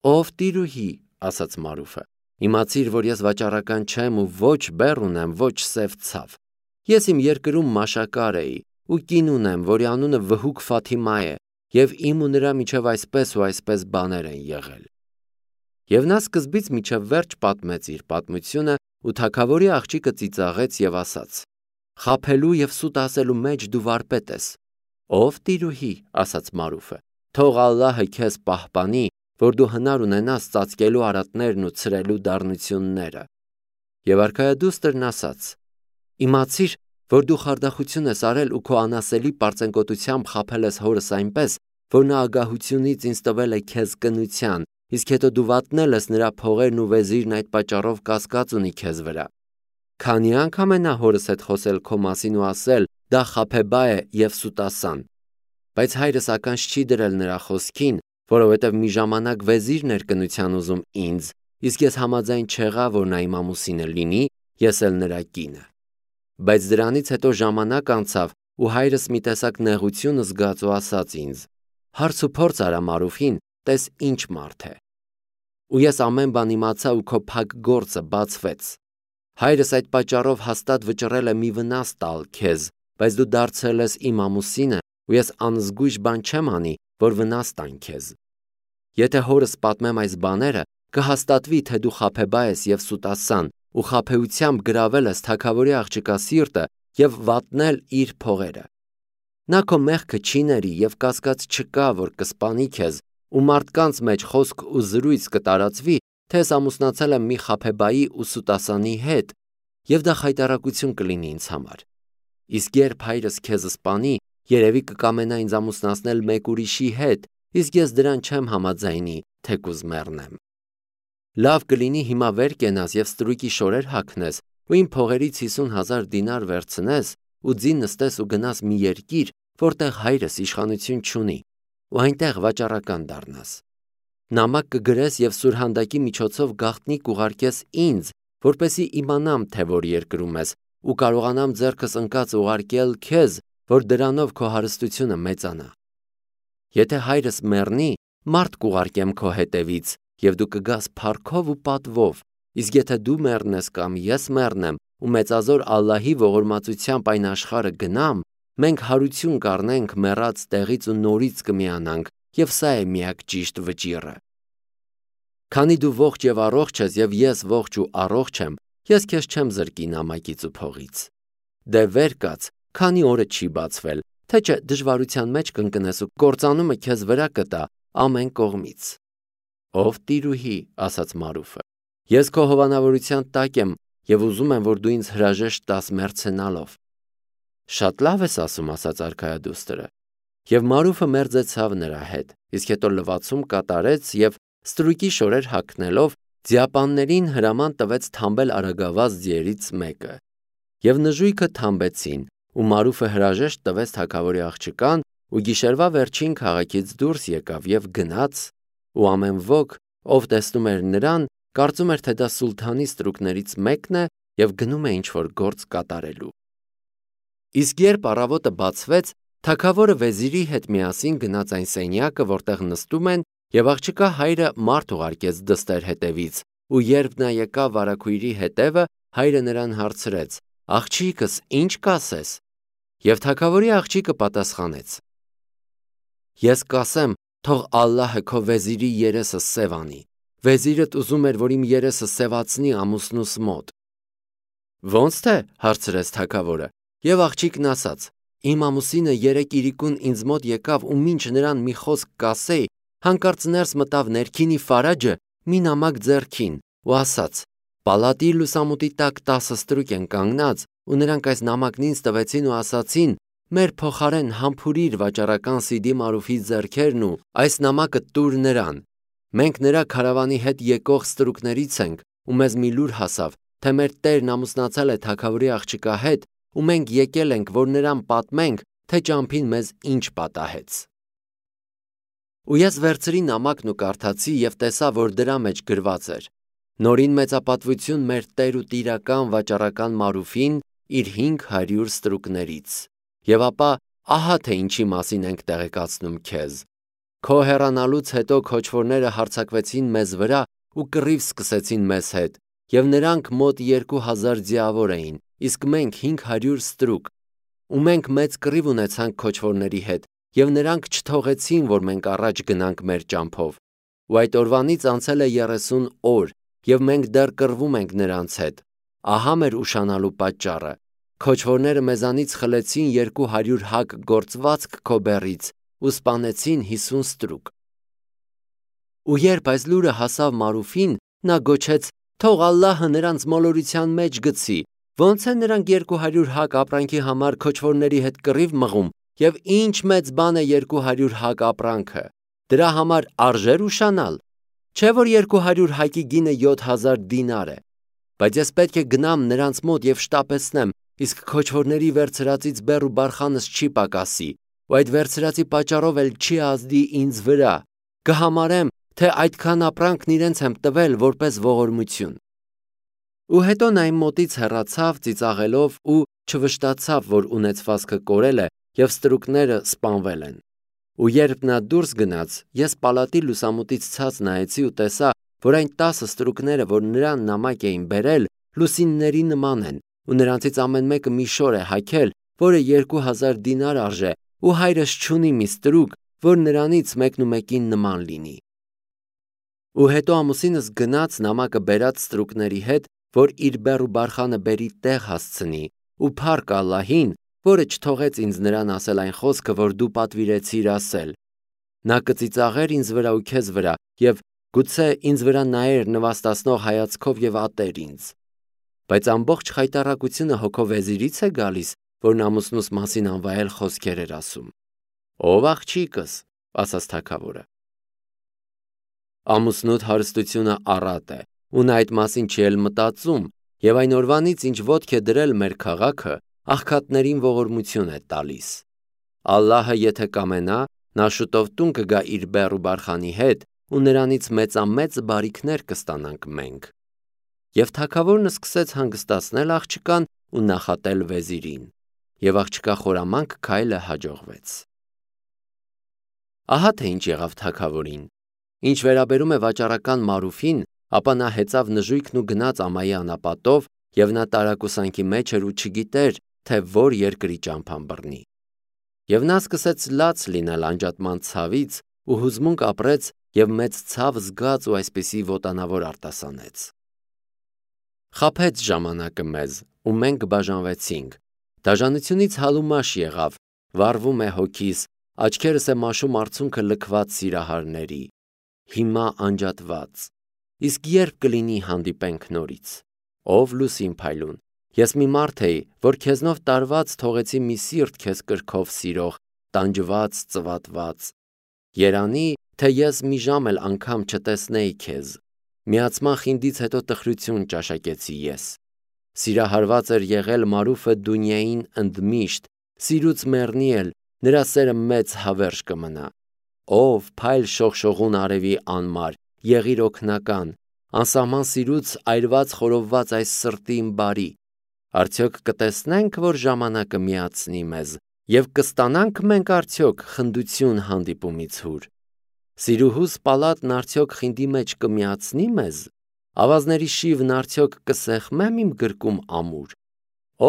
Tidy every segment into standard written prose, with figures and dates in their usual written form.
Ով տիրուհի, ասաց Մարուֆը, իմացիր, որ ես վաճառական չեմ ու ոչ բեռ ունեմ, ոչ սև ցավ։ Ես իմ երկրում մաշակար էի ու կին ունեմ, որի անունը Վհուկ Ֆաթիմա է, եւ իմ ու նրա միջև այսպես ու այսպես բաներ են եղել։ Եվ նա սկզբից միջև վերջ պատմեց իր պատմությունը ու թագավորի աղջիկը ծիծաղեց եւ ասաց. Խաբելու եւ սուտ ասելու մեջ դու վարպետ ես։ Ով տիրուհի, ասաց Մարուֆը, թող Ալլահը քեզ պահպանի, որ դու հնար ունենաս ծածկելու արատներն ու ցրելու դառնությունները։ Եվ արքայադուստրն ասաց. Իմացիր, որ դու խարդախություն ես արել ու քո անասելի պարծենկոտությամբ խաբել ես հորս այնպես, որ նա ագահությունից ինձ տվել է քեզ կնության, իսկ հետո դու վատնել ես նրա փողերն ու վեզիրն այդ պատճառով կասկած ունի քեզ վրա։ Քանի անգամ է նա հորս հետ խոսել քո մասին ու ասել. դա խաբեբա է եւ սուտասան։ Բայց հայրս ականջ չի դրել նրա խոսքին, որովհետեւ մի ժամանակ վեզիրն էր կնության ուզում ինձ, իսկ ես համաձայն չեղա, որ նա իմ ամուսինը լինի, ես էլ նրա կինը։ Բայց դրանից հետո ժամանակ անցավ ու հայրս մի տեսակ նեղություն զգաց ու ասաց ինձ. հարց ու փորձ արա Մարուֆին, տես ինչ մարդ է։ Ու ես ամեն բան իմացա ու քո փակ գործը բացվեց։ Հայրս այդ պատճառով հաստատ վճռել է մի վնաս տալ քեզ, բայց դու դարձել ես իմ ամուսինը ու ես անզգույշ բան չեմ անի, որ վնաս տան քեզ։ Եթե հորս պատմեմ այս բաները, կհաստատվի, թե դու խաբեբա ես եւ սուտասան ու խաբեությամբ գրավել ես թագավորի աղջկա սիրտը եւ վատնել իր փողերը։ Նա քո մեղքը չի ների եւ կասկած չկա, որ կսպանի քեզ ու մարդկանց մեջ խոսք ու զրույց կտարածվի, թե ես ամուսնացել եմ մի խաբեբայի ու սուտասանի հետ, եւ դա խայտարակություն կլինի ինձ համար։ Իսկ երբ հայրս քեզ սպանի, երևի կկամենա ինձ ամուսնացնել մեկ ուրիշի հետ, իսկ ես դրան չեմ համաձայնի, թեկուզ մեռնեմ։ Լավ կլինի հիմա վեր կենաս եւ ստրուկի շորեր հագնես ու իմ փողերից 50,000 դինար վերցնես ու ձին նստես ու գնաս մի երկիր, որտեղ հայրս իշխանություն չունի, ու այնտեղ վաճառական դառնաս։ Նամակ կգրես եւ սուրհանդակի միջոցով գաղտնիք ուղարկես ինձ, որպեսի իմանամ, թե որ երկրում ես ու կարողանամ ձեռքս ընկած ուղարկել քեզ, որ դրանով քո հարստությունը մեծանա։ Եթե հայրս մեռնի, մարդ կուղարկեմ քո հետևից եւ դու կգաս փառքով ու պատվով, իսկ եթե դու մեռնես կամ ես մեռնեմ ու մեծազոր Ալլահի ողորմածությամբ այն աշխարհը գնամ, մենք հարություն կառնենք մեռած տեղից ու նորից կմիանանք, եւ սա է միակ ճիշտ վճիռը։ Քանի դու ողջ եւ առողջ ես եւ ես ողջ ու առողջ եմ, ես քեզ չեմ զրկի նամակից ու փողից։ Դե վեր կաց, քանի օրը չի բացվել, թե չէ դժվարության մեջ կընկնես ու կործանումը քեզ վրա կտա ամեն կողմից։ Ով տիրուհի, ասաց Մարուֆը, ես քո հովանավորության տակ եմ եւ ուզում եմ, որ դու ինձ հրաժեշտ տաս մերցենալով։ Շատ լավ ես ասում, ասաց արքայադուստրը։ Եվ Մարուֆը մերձեցավ նրա հետ, իսկ հետո լվացում կատարեց եւ ստրուկի շորեր հագնելով ձիապաններին հրաման տվեց թամբել արագավազ ձիերից մեկը։ Եվ նժույգը թամբեցին, ու Մարուֆը հրաժեշտ տվեց թագավորի աղջկան ու գիշերվա վերջին քաղաքից դուրս եկավ եւ գնաց, ու ամեն ոք, ով տեսնում էր նրան, կարծում էր, թե դա սուլթանի ստրուկներից մեկն է եւ գնում է ինչ-որ գործ կատարելու։ Իսկ երբ առավոտը բացվեց, թագավորը վեզիրի հետ միասին գնաց այն սենյակը, որտեղ նստում են, եւ աղջկա հայրը մարդ ուղարկեց դստեր հետևից, ու երբ նա եկավ վարագույրի հետևը, հայրը նրան հարցրեց. «Աղջիկս, ինչ կասես»։ Եվ թագավորի աղջիկը պատասխանեց. «Ես կասեմ, թող Ալլահը քո վեզիրի երեսը սև անի։ Վեզիրդ ուզում էր, որ իմ երեսը սևացնի ամուսնուս մոտ»։ Ոնց թե, հարցրեց թագավորը, եւ աղջիկն ասաց. «Իմ ամուսինը երեք իրիկուն ինձ մոտ եկավ ու մինչ նրան մի խոսք կասեի, հանկարծ ներս մտավ ներքինի Ֆարաջը մի նամակ ձեռքին ու ասաց. «Պալատի լուսամուտի տակ 10 ստրուկ են կանգնած ու նրանք այս նամակն ինձ տվեցին ու ասացին. մեր փոխարեն համբուրիր վաճառական Սիդի Մարուֆի ձեռքերն ու այս նամակը տուր նրան։ Մենք նրա քարավանի հետ եկող ստրուկներից ենք ու մեզ մի լուր հասավ, թե մեր տերն ամուսնացել է թագավորի աղջկա հետ ու մենք եկել ենք, որ նրան պատմենք, թե ճամփին մեզ ինչ պատահեց»։ Ու ես վերցրի նամակն ու կարդացի եւ տեսա, որ դրա մեջ գրված էր. «Նորին մեծապատվություն մեր տեր ու տիրական վաճառական Մարուֆին իր 500 ստրուկներից»։ Եվ ապա ահա թե ինչի մասին ենք տեղեկացնում քեզ։ Քո հեռանալուց հետո քոչվորները հարձակվեցին մեզ վրա ու կռիվ սկսեցին մեզ հետ, եւ նրանք մոտ 2000 ձիավոր էին, իսկ մենք 500 ստրուկ։ Ու մենք մեծ կռիվ ունեցանք քոչվորների հետ, եւ նրանք չթողեցին, որ մենք առաջ գնանք մեր ճամփով։ Ու այդ օրվանից անցել է 30 օր, եւ մենք դեռ կռվում ենք նրանց հետ։ Ահա մեր ուշանալու պատճառը։ Քոչվորները մեզանից խլեցին 200 հակ գործվածք քո բեռից ու սպանեցին 50 ստրուկ։ Ու երբ այս լուրը հասավ Մարուֆին, նա գոչեց. «Թող Ալլահը նրանց մոլորության մեջ գցի, ոնց են նրանք 200 հակ ապրանքի համար քոչվորների հետ կռիվ մղում, եւ ինչ մեծ բան է 200 հակ ապրանքը, դրա համար արժեր ուշանալ, չէ որ 200 հակի գինը 7000 դինար է, բայց ես պետք է գնամ նրանց մոտ եւ շտապեցնեմ, իսկ քոչվորների վերցրածից բեռ ու բարխանս չի պակասի, ու այդ վերցրածի պատճառով էլ չի ազդի ինձ վրա, կհամարեմ, թե այդքան ապրանքն իրենց եմ տվել որպես ողորմություն»։ Ու հետո նա իմ մոտից հեռացավ ծիծաղելով ու չվշտացավ, որ ունեցվածքը կորել է եւ ստրուկները սպանվել են։ Ու երբ նա դուրս գնաց, ես պալատի լուսամուտից ցած նայեցի ու տեսա, որ այն 10 ստրուկները, որ նրան նամակ էին բերել, լուսինների նման են, ու նրանցից ամեն մեկը մի շոր է հագել, որը 2000 դինար արժե, ու հայրս չունի մի ստրուկ, որ նրանից մեկնումեկին նման լինի։ Ու հետո ամուսինս գնաց նամակը բերած ստրուկների հետ, որ իր բեռ ու բարխանը բերի տեղ հասցնի, ու փառք Ալլահին, որը չթողեց ինձ նրան ասել այն խոսքը, որ դու պատվիրեցիր ասել. նա կծիծաղեր ինձ վրա ու քեզ վրա, եւ գուցե ինձ վրա նայեր նվաստացնող հայացքով եւ ատեր ինձ։ Բայց ամբողջ խայտառակությունը հոգով վեզիրից է գալիս, որ ամուսնուս մասին անվայել խոսքեր էր ասում։ Ով աղջիկս, ասաց թագավորը։ Ամուսնուդ հարստությունը առատ է, ու նա այդ մասին չի էլ մտածում, եւ այն օրվանից, ինչ ոտք է դրել մեր քաղաքը, աղքատներին ողորմություն է տալիս։ Ալլահը եթե կամենա, նա շուտով տուն կգա իր բեռ ու բարխանի հետ, ու նրանից մեծամեծ բարիքներ կստանանք մենք։ Եվ թագավորն սկսեց հանգստացնել աղջկան ու նախատել վեզիրին, եւ աղջկա խորամանկ քայլը հաջողվեց։ Ահա թե ինչ եղավ թագավորին։ Ինչ վերաբերում է վաճառական Մարուֆին, ապա նա հեծավ նժույգն ու գնաց ամայի անապատով, եւ նա տարակուսանքի մեջ էր ու չգիտեր, թե որ երկրի ճամփան բռնի։ Եվ նա սկսեց լաց լինել անջատման ցավից ու հուզմունք ապրեց եւ մեծ ցավ զգաց ու այսպիսի ոտանավոր արտասանեց։ Խաբեց ժամանակը մեզ, ու մենք բաժանվեցինք։ Դաժանությունից հալումաշ եղավ, վառվում է հոգիս, աչքերս է մաշում արցունքը լքված սիրահարների։ Հիմա անջատված։ Իսկ երբ կլինի հանդիպենք նորից։ Ով լուսին փայլուն։ Ես մի մարդ էի, որ քեզնով տարված թողեցի մի սիրտ քեզ կրքով սիրող, տանջված, ծվատված։ Երանի, թե ես մի ժամ էլ անգամ չտեսնեի քեզ։ Միացման խինդից հետո տխրություն ճաշակեցի ես։ Սիրահարված էր եղել Մարուֆը դունյային ընդմիշտ, սիրուց մեռնի էլ, նրա սերը մեծ հավերժ կմնա։ Ով փայլ շողշողուն արևի անմար, եղիր օգնական, անսահման սիրուց այրված խորովված այս սրտին բարի։ Արդյոք կտեսնենք, որ ժամանակը միացնի մեզ, եւ կստանանք մենք արդյոք խնդություն հանդիպումից հուր։ Սիրուհուս պալատն արդյոք խինդի մեջ կմիացնի մեզ, ավազների շիվն արդյոք կսեղմեմ իմ գրկում ամուր։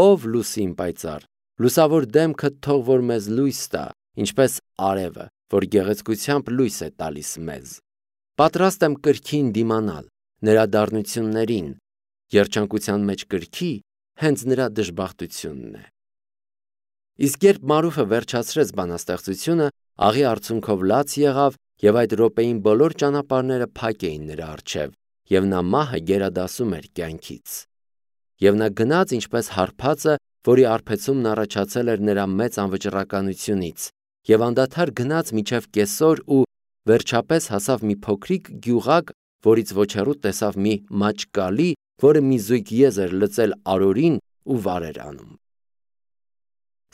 Ով լուսին պայծառ, լուսավոր դեմքդ թող որ մեզ լույս տա, ինչպես արևը, որ գեղեցկությամբ լույս է տալիս մեզ։ Պատրաստ եմ կրքին դիմանալ, նրա դառնություններին, երջանկության մեջ կրքի, հենց նրա դժբախտությունն է։ Իսկ երբ Մարուֆը վերջացրեց բանաստեղծությունը, աղի արցունքով լաց եղավ, եւ այդ րոպեին բոլոր ճանապարհները փակ էին նրա առջև, եւ նա մահը գերադասում էր կյանքից։ Եվ նա գնաց ինչպես հարբածը, որի արբեցումն առաջացել էր նրա մեծ անվճռականությունից, եւ անդադար գնաց միջև կեսօր ու վերջապես հասավ մի փոքրիկ գյուղակ, որից ոչ հեռու տեսավ մի մաճկալի, որը մի զույգ եզ էր լծել արորին ու վար էր անում։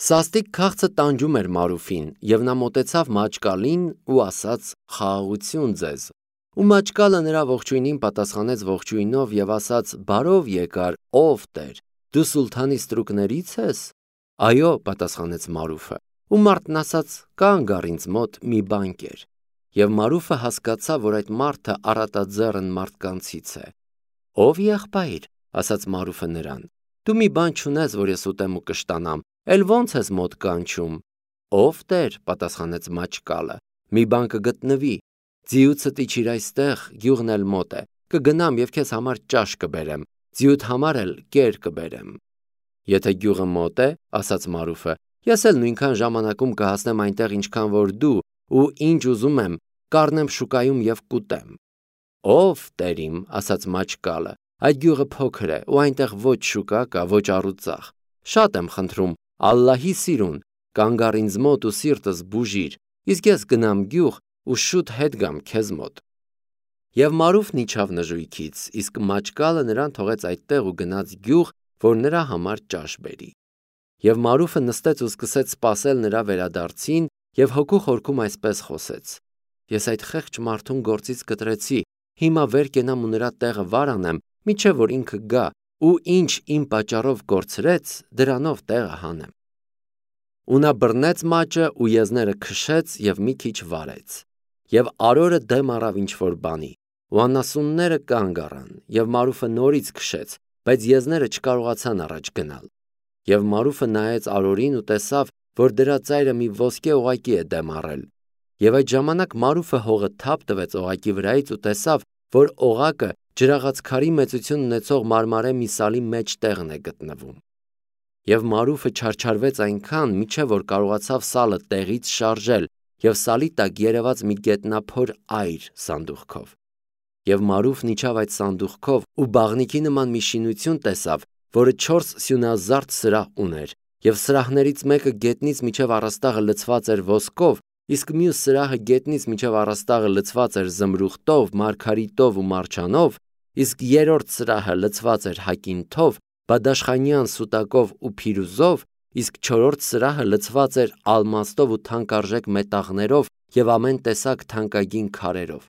Սաստիկ քաղցը տանջում էր Մարուֆին, եւ նա մոտեցավ մաճկալին ու ասաց. «Խաղաղություն ձեզ»։ Ու մաճկալը նրա ողջույնին պատասխանեց ողջույնով եւ ասաց. «Բարով եկար, ով Տեր, դու սուլթանի ստրուկների՞ց ես»։ «Այո», պատասխանեց Մարուֆը։ Ու մարդն ասաց. «Կանգ առ ինձ մոտ մի բանկեր»։ Եվ Մարուֆը հասկացավ, որ այդ մարդը առատաձեռն մարդկանցից է։ Ով եղբայր, ասաց Մարուֆը նրան, դու մի բան չունես, որ ես ուտեմ ու կշտանամ, էլ ոնց ես մոտ կանչում։ Ով Տեր, պատասխանեց Մաչկալը, մի բան կգտնվի, ձիուցը իջիր այստեղ, գյուղն էլ մոտ է, կգնամ եւ քեզ համար ճաշ կբերեմ, ձիուդ համար էլ կեր կբերեմ։ Եթե գյուղը մոտ է, ասաց Մարուֆը, ես էլ նույնքան ժամանակում կհասնեմ այնտեղ, ինչքան որ դու, ու ինչ ուզում եմ, կառնեմ շուկայում եւ կուտեմ։ Ով Տերիմ, ասաց Մաչկալը, այդ գյուղը փոքր է ու այնտեղ ոչ շուկա կա, ոչ առուծախ։ Շատ եմ խնդրում, Ալլահի սիրուն, կանգար ինձ մոտ ու սիրտս բուժիր, իսկ ես գնամ գյուղ ու շուտ հետ գամ քեզ մոտ։ Եվ Մարուֆն իջավ նժույգից, իսկ Մաչկալը նրան թողեց այդտեղ ու գնաց գյուղ, որ նրա համար ճաշ բերի։ Եվ Մարուֆը նստեց ու սկսեց սպասել նրա վերադարձին եւ հոգու խորքում այսպես խոսեց. Ես այդ խեղճ մարդուն գործից կտրեցի, հիմա վեր կենամ ու նրա տեղը վար անեմ, միչև որ ինքը գա, ու ինչ իմ պատճառով կորցրեց, դրանով տեղը հանեմ։ Ու նա բռնեց մաճը ու եզները քշեց եւ մի քիչ վարեց։ Եվ արորը դեմ առավ ինչ-որ բանի, ու անասունները կանգ առան, եւ Մարուֆը նորից քշեց, բայց եզները չկարողացան առաջ գնալ։ Եվ Մարուֆը նայեց արորին ու տեսավ, որ դրա ծայրը մի ոսկե օղակի է դեմ առել։ Եվ այդ ժամանակ Մարուֆը հողը թափ տվեց օղակի վրայից ու տեսավ, որ օղակը ջրաղացքարի մեծություն ունեցող մարմարե մի սալի մեջտեղն է գտնվում։ Եվ Մարուֆը չարչարվեց այնքան, մինչև որ կարողացավ սալը տեղից շարժել եւ սալի տակ երևաց մի գետնափոր այր սանդուղքով։ Եվ Մարուֆն իջավ այդ սանդուղքով ու բաղնիքի նման մի շինություն տեսավ, որը 4 սյունազարդ սրահ ուներ, եւ սրահներից մեկը գետնից մինչև առաստաղը լցված էր ոսկով, իսկ մյուս սրահը գետնից մինչև առաստաղը լցված էր զմրուխտով, մարգարիտով ու մարչանով, իսկ երրորդ սրահը լցված էր հակինթով, բադաշխանյան սուտակով ու փիրուզով, իսկ չորրորդ սրահը լցված էր ալմաստով ու թանկարժեք մետաղներով եւ ամեն տեսակ թանկագին քարերով։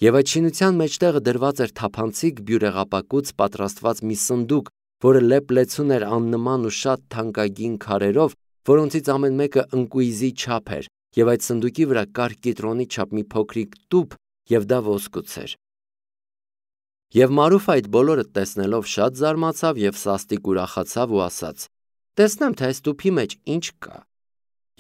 Եվ այդ շինության մեջտեղը դրված էր թափանցիկ բյուրեղապակուց պատրաստված մի սնդուկ, որը լեփ-լեցուն էր աննման ու շատ թանկագին քարերով, որոնցից ամեն մեկը ընկույզի չափ էր, եւ այդ սնդուկի վրա կար կիտրոնի չափ մի փոքրիկ տուփ, եւ դա ոսկուց էր։ Եվ Մարուֆը այդ բոլորը տեսնելով շատ զարմացավ եւ սաստիկ ուրախացավ ու ասաց. տեսնեմ, թե այս տուփի մեջ ինչ կա։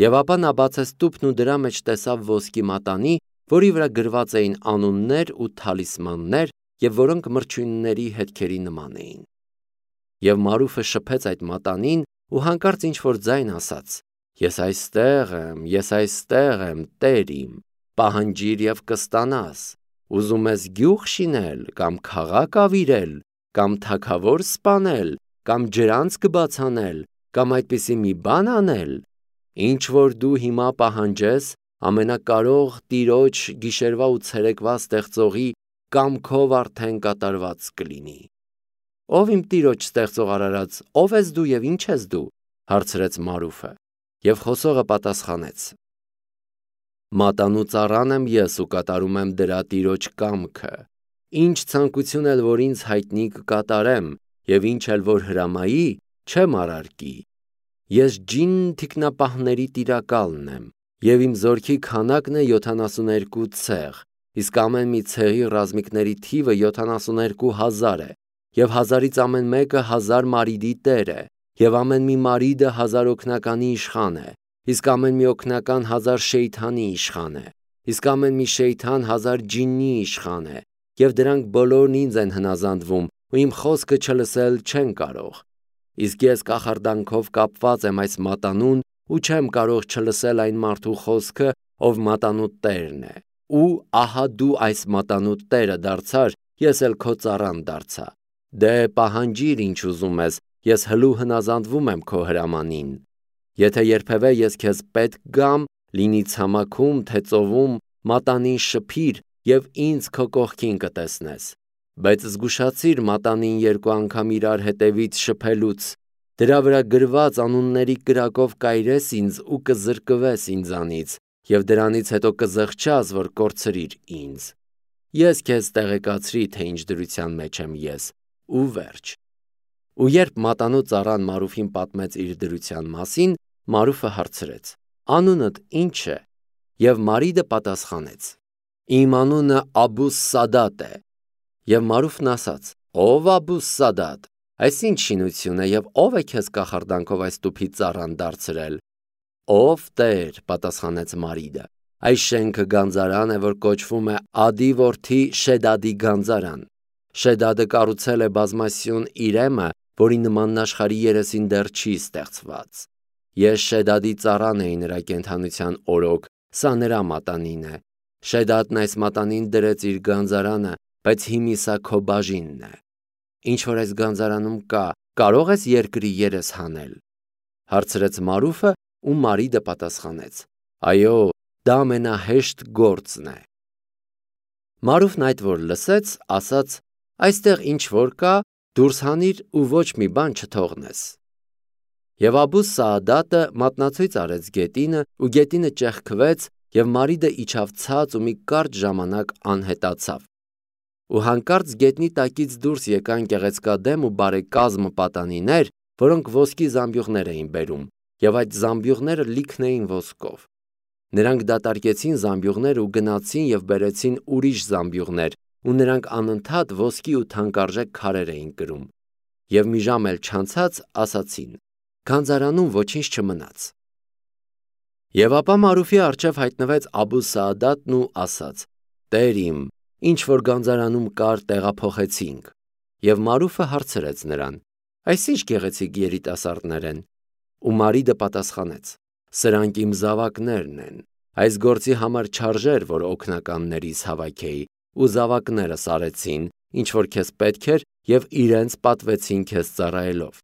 Եվ ապա նա բացեց տուփն ու դրա մեջ տեսավ ոսկի մատանի, որի վրա գրված էին անուններ ու թալիսմաններ, եւ որոնք մրջյունների հետքերի նման էին։ Եվ Մարուֆը շփեց այդ մատանին ու հանկարծ ինչ-որ ձայն ասաց. Ես այստեղ եմ, Տերիմ, պահանջիր եւ կստանաս, ուզում ես գյուղ շինել, կամ քաղաք ավիրել, կամ թագավոր սպանել, կամ ջրանց կբացանել, կամ այդպիսի մի բան անել, ինչ որ դու հիմա պահանջես, ամենակարող Տիրոջ գիշերվա ու ցերեկվա ստեղծողի կամքով արդեն կատարված կլինի։ Ով իմ Տիրոջ ստեղծող արարած, ով ես դու եւ ինչ ես դու, հարցրեց Մարուֆը։ Եվ խոսողը պատասխանեց. Մատանու ծառան եմ ես ու կատարում եմ դրա Տիրոջ կամքը, ինչ ցանկություն էլ որ ինձ հայտնի կկատարեմ, եւ ինչ էլ որ հրամայի, չեմ արարկի։ Ես ջին թիկնապահների տիրակալն եմ, եւ իմ զորքի քանակն է 72 ցեղ, իսկ ամեն մի ցեղի ռազմիկների թիվը 72,000 է, եւ 1000-ից ամեն մեկը 1000 մարիդի տեր է, եւ ամեն մի մարիդը 1000 օգնականի իշխան է, իսկ ամեն մի օգնական 1000 շեյթանի իշխան է, իսկ ամեն մի շեյթան 1000 ջիննի իշխան է, եւ դրանք բոլորն ինձ են հնազանդվում, ու իմ խոսքը չլսել չեն կարող։ Իսկ ես կախարդանքով կապված եմ այս մատանուն ու չեմ կարող չլսել այն մարդու խոսքը, ով մատանու տերն է։ Ու ահա դու այս մատանու տերը դարձար, ես էլ քո ծառան դարձա։ Դե պահանջիր ինչ ուզում ես, ես հլու հնազանդվում եմ քո հրամանին։ Եթե երբևէ ես քեզ պետք գամ, լինի ցամաքում, թե ծովում, մատանին շփիր եւ ինձ քո կողքին կտեսնես։ Բայց զգուշացիր մատանին 2 անգամ իրար հետևից շփելուց, դրա վրա գրված անունների կրակով կայրես ինձ ու կզրկվես ինձանից, եւ դրանից հետո կզղջաս, որ կորցրիր ինձ։ Ես քեզ տեղեկացրի, թե ինչ դրության մեջ եմ ես, ու վերջ։ Ու երբ մատանու ծառան Մարուֆին պատմեց իր դրության մասին, Մարուֆը հարցրեց. Անունդ ի՞նչ է։ Եվ Մարիդը պատասխանեց. Իմ անունը Աբուս Սադատ է։ Եվ Մարուֆն ասաց. Ով Աբուս Սադատ, այս ինչ շինություն է եւ ով է քեզ կախարդանքով այս տուփի ծառան դարձրել։ Ով Տեր, պատասխանեց Մարիդը, այս շենքը գանձարան է, որ կոչվում է Ադի որդի Շեդադի գանձարան։ Շեդադը կառուցել է բազմասյուն Իրեմը, որի նմանն աշխարհի երեսին դեռ չի ստեղծված։ Ես Շեդադի ծառան էի նրա կենդանության օրոք, սա նրա մատանին է։ Շեդադն այս մատանին դրեց իր գանձարանը, բայց հիմի սա քո բաժինն է։ Ինչ որ այս գանձարանում կա, կարող ես երկրի երես հանել։ Հարցրեց Մարուֆը, ու Մարիդը պատասխանեց. Այո, դա ամենահեշտ գործն է։ Մարուֆն այդ որ լսեց, ասաց. Այստեղ ինչ որ կա, դուրս հանիր ու ոչ մի բան չթողնես։ Եվ Աբուս Սաադատը մատնացույց արեց գետինը, ու գետինը ճեղքվեց, եւ Մարիդը իջավ ցած ու մի կարճ ժամանակ անհետացավ։ Ու հանկարծ գետնի տակից դուրս եկան գեղեցկադեմ ու բարեկազմ պատանիներ, որոնք ոսկի զամբյուղներ էին բերում, եւ այդ զամբյուղները լիքն էին ոսկով։ Նրանք դատարկեցին զամբյուղները ու գնացին եւ բերեցին ուրիշ զամբյուղներ, ու նրանք անընդհատ ոսկի ու թանկարժեք քարեր էին կրում։ Եվ մի ժամ էլ չանցած ասացին. Գանձարանում ոչինչ չմնաց։ Եվ ապա Մարուֆի առջև հայտնվեց Աբուս Սաադատն ու ասաց. Տեր իմ, ինչ որ գանձարանում կար, տեղափոխեցինք։ Եվ Մարուֆը հարցրեց նրան. Այս ինչ գեղեցիկ երիտասարդներ են։ Ու Մարիդը պատասխանեց. Սրանք իմ զավակներն են։ Այս գործի համար չարժեր, որ օգնականներից հավաքեի, ու զավակներս արեցին, ինչ որ քեզ պետք էր, եւ իրենց պատվեցին քեզ ծառայելով։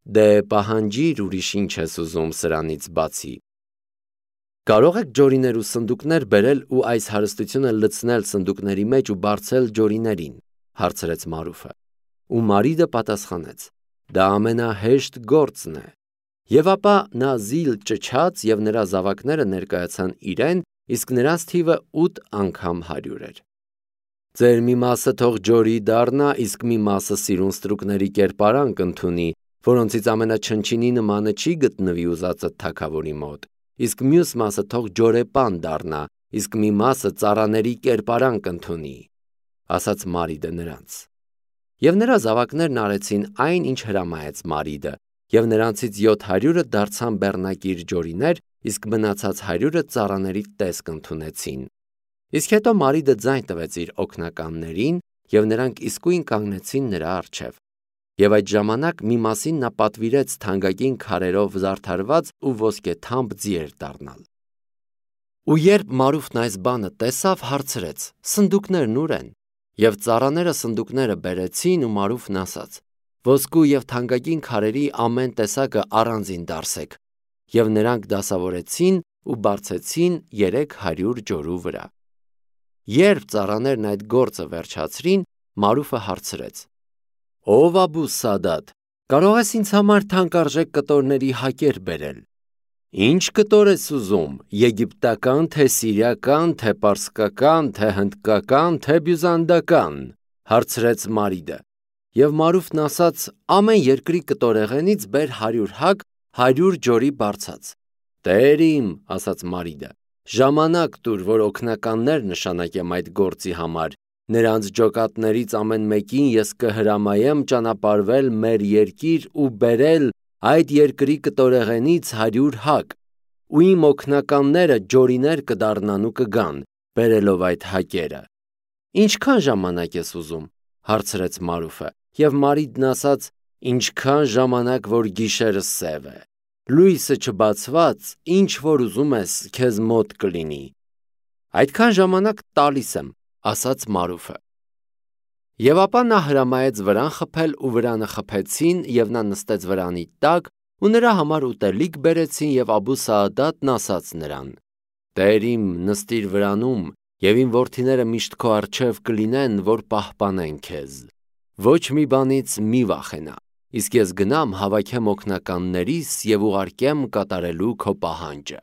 Դե պահանջիր, ուրիշ ինչ ես ուզում սրանից բացի։ Կարող եք ջորիներ ու սնդուկներ բերել ու այս հարստությունը լցնել սնդուկների մեջ ու բարձել ջորիներին, հարցրեց Մարուֆը։ Ու Մարիդը պատասխանեց. Դա ամենահեշտ գործն է։ Եվ ապա նա զիլ ճչաց եւ նրա զավակները ներկայացան իրեն, իսկ նրանց թիվը 8 անգամ 100 էր։ Ձեր մի մասը թող ջորի դառնա, իսկ մի մասը սիրուն ստրուկների կերպարանք ընդունի, որոնցից ամենաչնչինի նմանը չի գտնվի ուզածը թագավորի մոտ, իսկ մյուս մասը թող ջորեպան դառնա, իսկ մի մասը ծառաների կերպարանք ընդունի, ասաց Մարիդը նրանց։ Եվ նրա զավակներն արեցին այն, ինչ հրամայեց Մարիդը, եւ նրանցից 700-ը դարձան բեռնակիր ջորիներ, իսկ մնացած 100-ը ծառաների տեսք ընդունեցին։ Իսկ հետո Մարիդը ձայն տվեց իր օգնականներին, եւ նրանք իսկույն կանգնեցին նրա առջև։ Եվ այդ ժամանակ մի մասին նա պատվիրեց թանկագին քարերով զարդարված ու ոսկեթամբ ձիեր դառնալ։ Ու երբ Մարուֆն այս բանը տեսավ, հարցրեց. Սնդուկներն ուր են։ Եվ ծառաները սնդուկները բերեցին, ու Մարուֆն ասաց. Ոսկու եւ թանկագին քարերի ամեն տեսակը առանձին դարսեք։ Եվ նրանք դասավորեցին ու բարձեցին 300 ջորու վրա։ Երբ ծառաներն այդ գործը վերջացրին, Մարուֆը հարցրեց. Ով Աբուս Սադատ, կարող ես ինձ համար թանկարժեք կտորների հակեր բերել։ Ինչ կտոր ես ուզում, եգիպտական, թե սիրիական, թե պարսկական, թե հնդկական, թե բյուզանդական, հարցրեց Մարիդը։ Եվ Մարուֆն ասաց. ամեն երկրի կտորեղենից բեր 100 հակ, 100 ջորի բարձած։ Տեր իմ, ասաց Մարիդը, ժամանակ տուր, որ օգնականներ նշանակեմ այդ գործի համար։ Նրանց ջոկատներից ամեն մեկին ես կհրամայեմ ճանապարհվել մեր երկիր ու բերել այդ երկրի կտորեղենից 100 հակ, ու իմ օգնականները ջորիներ կդառնան ու կգան, բերելով այդ հակերը։ Ինչքան ժամանակ ես ուզում, հարցրեց Մարուֆը, եւ Մարիդն ասաց. ինչքան ժամանակ, որ գիշերը սև է։ Լույսը չբացված, ինչ որ ուզում ես, քեզ մոտ կլինի։ Այդքան ժամանակ տալիս եմ, ասաց Մարուֆը։ Եվ ապա նա հրամայեց վրան խփել, ու վրանը խփեցին, եւ նա նստեց վրանի տակ, ու նրա համար ուտելիք բերեցին, եւ Աբուս Սաադատն ասաց նրան. Տեր իմ, նստիր վրանում, եւ իմ որդիները միշտ քո առջև կլինեն, որ պահպանեն քեզ։ Ոչ մի բանից մի վախենա, իսկ ես գնամ հավաքեմ օգնականներիս եւ ուղարկեմ կատարելու քո պահանջը։